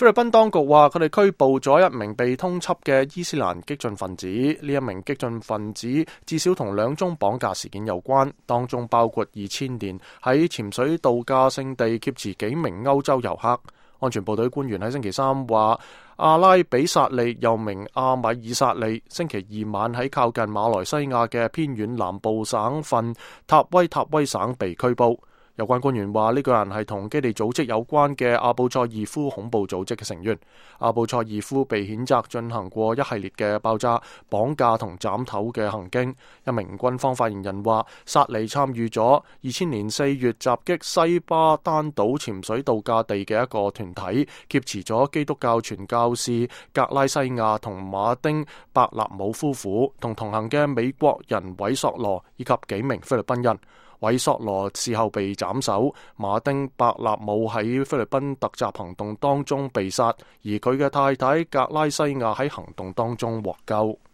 菲律賓當局話佢哋拘捕咗一名被通緝嘅伊斯蘭激進分子，呢一名激進分子至少同2宗綁架事件有關，當中包括2000年喺潛水度假勝地劫持幾名歐洲遊客。安全部隊官員喺星期三話，阿拉比薩利又名阿米爾薩利，星期二晚喺靠近馬來西亞嘅偏遠南部省份塔威省被拘捕。有關官員話呢個人係同基地組織有關嘅阿布賽義夫恐怖組織嘅成員。阿布賽義夫被譴責進行過一系列嘅爆炸、綁架同斬頭嘅行徑。一名軍方發言人話，薩利參與咗2000年4月襲擊西巴丹島潛水度假地嘅一個團體，劫持咗基督教傳教士格拉西亞同馬丁伯納姆夫婦，同行嘅美國人韋索羅以及幾名菲律賓人。韋索羅事後被斬首，馬丁伯納姆喺菲律賓突襲行動當中被殺，而佢嘅太太格拉西亞喺行動當中獲救。